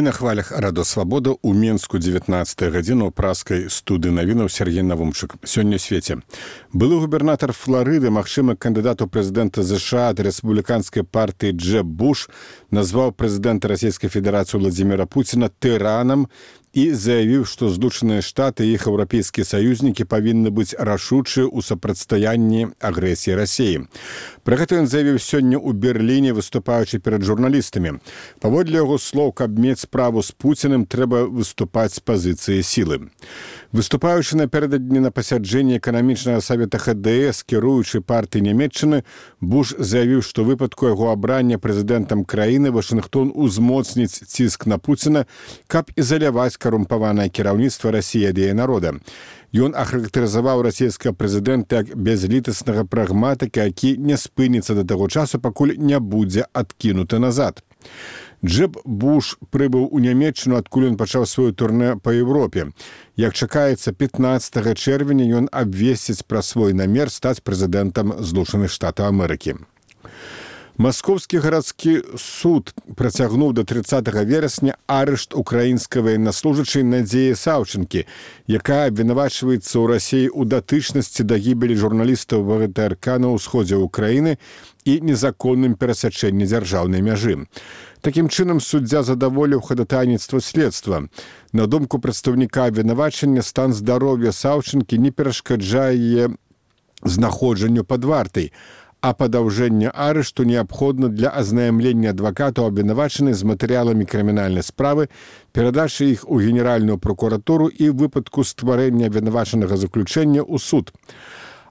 на хвалях Радо Свабода ў Менску 19 гадзіну ў праскай студыі навінаў Сергей Навумчык. Сёння ў свеце. Былы губернатар Флорыды, магчыма кандыдат у прэзідэнта ЗША ад рэспубліканскай партыі Джеб Буш, назваў прэзідэнта Расійскай Федэрацыі Владзіміра Пуціна тыранам і заявіў, што Злучаныя Штаты і іх еўрапейскія саюзнікі павінны быць рашучыя ў супрацьстаянні агрэсіі Расіі. Пра гэта ён заявіў сёння ў Берліне, выступаючы перад журналістамі. Паводле яго слоў, каб мець справу з Пуціным, трэба выступаць з пазіцыі сілы. Выступаючы напярэдадні на пасяджэнні эканамічнага савета ХДС, кіруючы партыі Нямецчыны, Буш заявіў, што ў выпадку яго абрання прэзідэнтам краіны Вашынгтон узмоцніць ціск на Пуціна, каб ізаляваць карумпаванае кіраўніцтва Расіі ад яе народа. Ён ахарактарызаваў расійскага прэзідэнта як бязлітаснага прагматыка, які не спыніцца да таго часу, пакуль не будзе адкінуты назад. Джеб Буш прыбыў у Нямецчыну, адкуль ён пачаў сваё турнэ па Еўропе. Як чакаецца, 15 чэрвеня ён абвесціць пра свой намер стаць прэзідэнтам Злучаных Штатаў Амерыкі. Маскоўскі гарадскі суд працягнуў да 30 верасня арышт украінскай ваеннаслужачай Надзеі Саўчынкі, якая абвінавачваецца ў Расіі ў датычнасці да гібелі журналістаў ВГТРК на ўсходзе ўкраіны і незаконным перасячэнні дзяржаўнай мяжы. Такім чынам, суддзя задаволіў хадатайніцтва следства. На думку прадстаўніка абвінавачання, стан здароўя Саўчынкі не перашкаджае яе знаходжанню пад вартай, а падаўжэнне арышту неабходна для азнаямлення адвакатаў абвінавачанай з матэрыяламі крымінальнай справы, перадачы іх у Генеральную прокуратуру і выпадку стварэння абвінавачанага заключэння ў суд.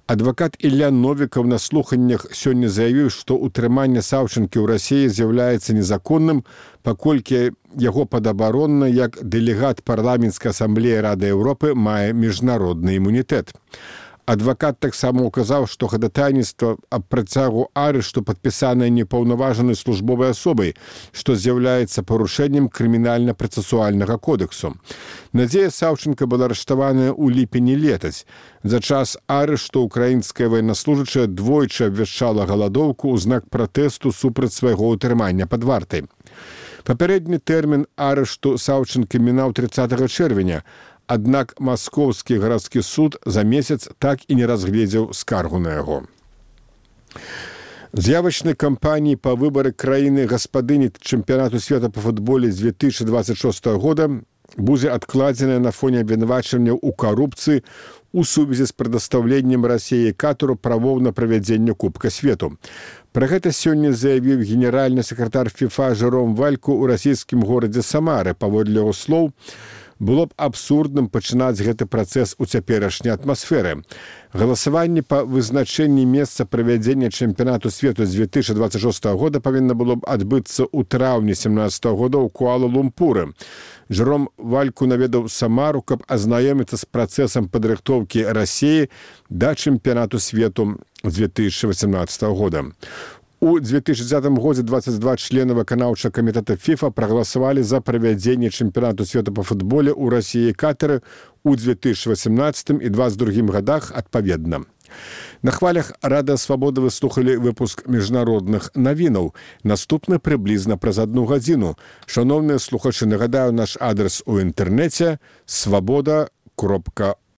Адвакат Ілля Новікаў на слуханнях сёння заявіў, што ўтрыманне Саўчынкі ў Расіі з'яўляецца незаконным, паколькі яго падабаронна як дэлегат парламенцкай асамблеі Рады Еўропы мае міжнародны імунітэт. Адвакат таксама указаў, што хадатайніцтва аб працягу арышту падпісанае непаўнаважанай службовай асобай, што з'яўляецца парушэннем крымінальна-працэсуальнага кодексу. Надзея Саўчынка была арыштаваная ў ліпені летась. За час арышту украінская ваеннаслужачая двойчы абвяшчала галадоўку ў знак пратэсту супраць свайго ўтрымання пад вартай. Папярэдні тэрмін арышту Саўчынкі мінаў 30 чэрвеня, аднак Маскоўскі гарадскі суд за месяц так і не разгледзеў скаргу на яго. З'явачнай кампаніі па выбары краіны гаспадыні чэмпіянату свету па футболе з 2026 года будзе адкладзеная на фоне абвінавачванняў у карупцыі у сувязі з прадастаўленнем Расіі Катару правоў на правядзенне Кубка свету. Пра гэта сёння заявіў генеральны сакратар ФІФА Жером Вальку ў расійскім горадзе Самары. Паводле яго слоў, было б абсурдным пачынаць гэты працэс у цяперашняй атмасферы. Галасаванне па вызначэнні месца правядзення чэмпіянату свету з 2026 года павінна было б адбыцца ў траўні 2017 года ў Куала-Лумпуры. Жером Вальку наведаў Самару, каб азнаёміцца з працэсам падрыхтоўкі Расіі да чэмпіянату свету з 2018 года. У 2010 годзе 22 члена выканаўчага камітэта ФІФА прагаласавалі за правядзенне чэмпіянату свету па футболе ў Расіі і Катары ў 2018 і 2022 годах адпаведна. На хвалях Рада Свабоды вы слухалі выпуск міжнародных навінаў. Наступны прыблізна праз 1 гадзіну. Шановныя слухачы, нагадаю наш адрес у інтэрнэце свабода.орг.